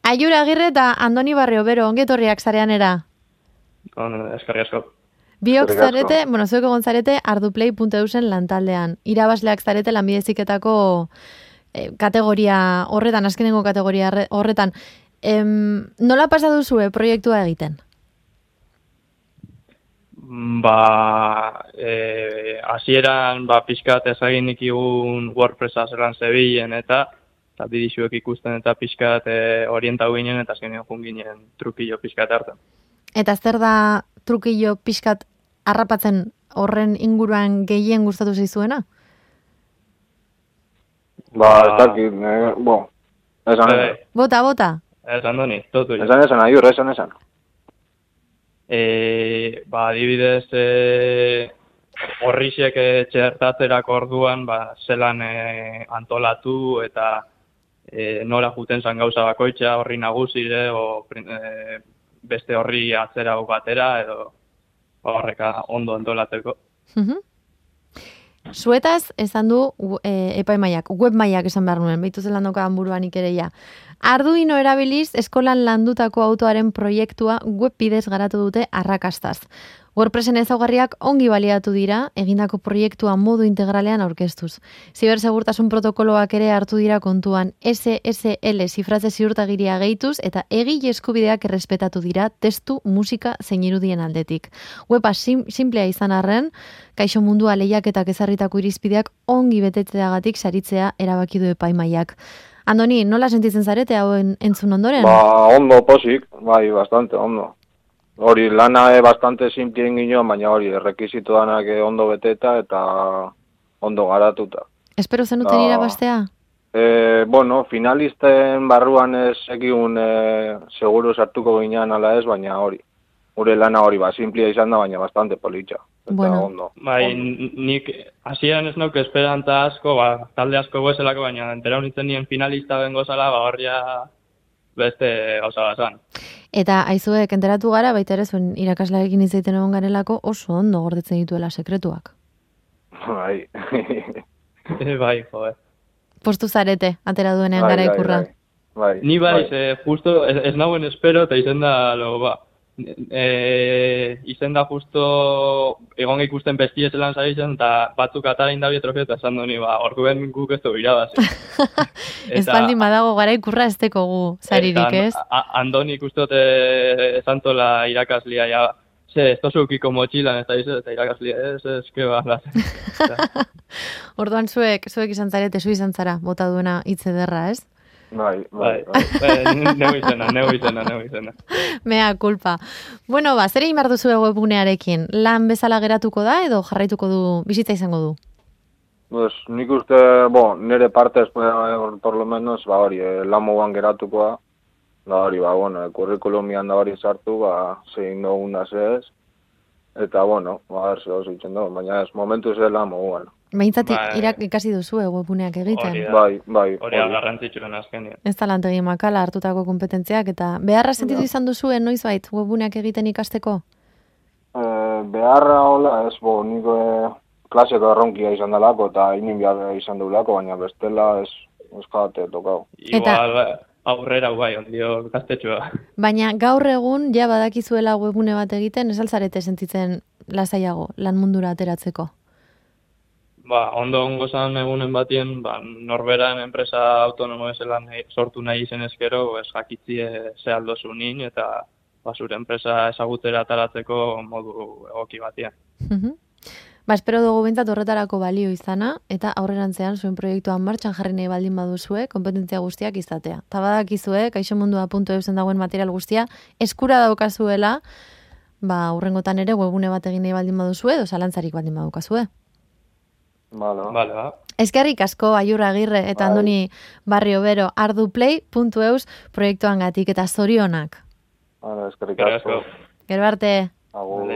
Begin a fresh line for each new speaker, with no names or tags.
Aiur Agirre eta Andoni Barriobero, ongetorriak zareanera.
Eskerrik asko.
Biok zarete, zuek egon zarete arduplay.eusen lantaldean. Irabazleak zarete lanbide heziketako kategoria horretan, azkenengo kategoria horretan. Nola pasa duzue proiektua egiten?
Hasieran pixkat ezagin ikigun WordPressa zelan zebilen eta bidizuek ikusten eta pixkat orientau ginen eta azkenean jun ginen trukillo pixkat hartzen.
Eta zer da trukillo pixkat harrapatzen horren inguruan gehien gustatu zaizuena?
Ez dakit, esan.
Bota.
Esan doni, totu.
Esan, Aiur, esan.
Adibidez, horrixek txertatzerak orduan, zelan antolatu eta nola juten zan gauza bakoitza horri nagusire, beste horri atzera batera, edo horreka ondo antolatzeko.
Zuetaz, esan du epaimaiak, webmaiak esan behar nuen, behitu zelan doka buruan ikereia. Arduino erabiliz, eskolan landutako autoaren proiektua web bidez garatu dute arrakastaz. WordPressen ezaugarriak ongi baliatu dira, egindako proiektua modu integralean aurkeztuz. Zibersegurtasun protokoloak ere hartu dira kontuan, SSL zifratze ziurtagiria gehituz eta egile eskubideak errespetatu dira testu, musika zein irudien aldetik. Weba simplea izan arren, kaixo mundua lehiaketak ezarritako irizpideak ongi betetzeagatik saritzea erabaki du epaimaiak. Andoni, nola sentitzen zarete hauen entzun ondoren?
Ondo posik, bastante, ondo. Hori lana bastante simplien ginoan, baina hori errekizito danak ondo beteta eta ondo garatuta.
Espero zenuten irabaztea?
Finalisten barruan ez egiun seguru sartuko ginean ala ez, baina hori. Gure lana hori, simplia izan da, baina bastante politxa. Ondo.
Nik hasieran ez nauk esperanta asko, talde asko goezelako, baina entera honitzen nien finalista bengo zala, horria beste gauza bazan.
Eta aizuek enteratu gara, baita ere zuen irakaslearekin izaiten egon garelako oso ondo gordetzen dituela sekretuak.
Bai,
joder.
Postu zarete, atera duenean gara ikurra.
Bai.
Ni justo ez nauen espero eta izen da, izen da justo egon ikusten bestie zelan zaitzen eta batzuk atara indabi trofeo eta esan doni, orduen guk ez dugu irabazi.
Ez baldin badago gara ikurra ez teko gu zaririk, ez?
Andoni ikustote esantola irakaslia, ez tozukiko motxilan eta irakaslia, ez keba.
Orduan zuek izan zarete, zu izan zara, bota duena hitz ederra, ez?
Bai.
Neu izena.
Mea kulpa. Bueno, zer egin behar duzu webgunearekin? Lan bezala geratuko da edo jarraituko du, bizitza izango du?
Nik uste, nire partez, por lo menos, hori, lan moguan geratuko da, hori, kurrikulumian da hori sartu, zein dugun da ez, eta, zer hau zitzen dugu, baina ez, momentu ez lan moguan.
Behintzat ikasi duzu webguneak egiten.
Bai.
Hori garrantzitsuen azkenean.
Ez talantegi makala hartutako kompetentziak, eta beharra sentitu izan duzuen noizbait webguneak egiten ikasteko?
Beharra hola ez, nik klaseko erronkia izan dalako eta inin behar izan dugulako, baina bestela ez jate tokau.
Igual aurrera ondio gaztetxua.
Baina gaur egun ja badakizuela webgune bat egiten, ez altzarete sentitzen lasaiago lan mundura ateratzeko?
Ondo ongo zan egunen batien, norberan enpresa autonomo ezelan sortu nahi izen ezkero, jakitzie ze aldozu nin eta zure enpresa ezagutera ataratzeko modu egoki batien.
Espero dugu bintzat horretarako balio izana, eta aurrerantzean zuen proiektuan martxan jarri nahi baldin baduzue, kompetentzia guztiak izatea. Ta badakizue, kaixomundua.eusen dagoen material guztia, eskura daukazuela, hurrengotan ere webgune bat egin nahi baldin baduzue, edo zalantzarik baldin badukazue.
Vale.
Eskerrik asko Aiur Agirre eta Andoni Barriobero arduplay.eus proiektuan gatik eta zorionak.
Eskerrik asko.
Gero arte.
Agur.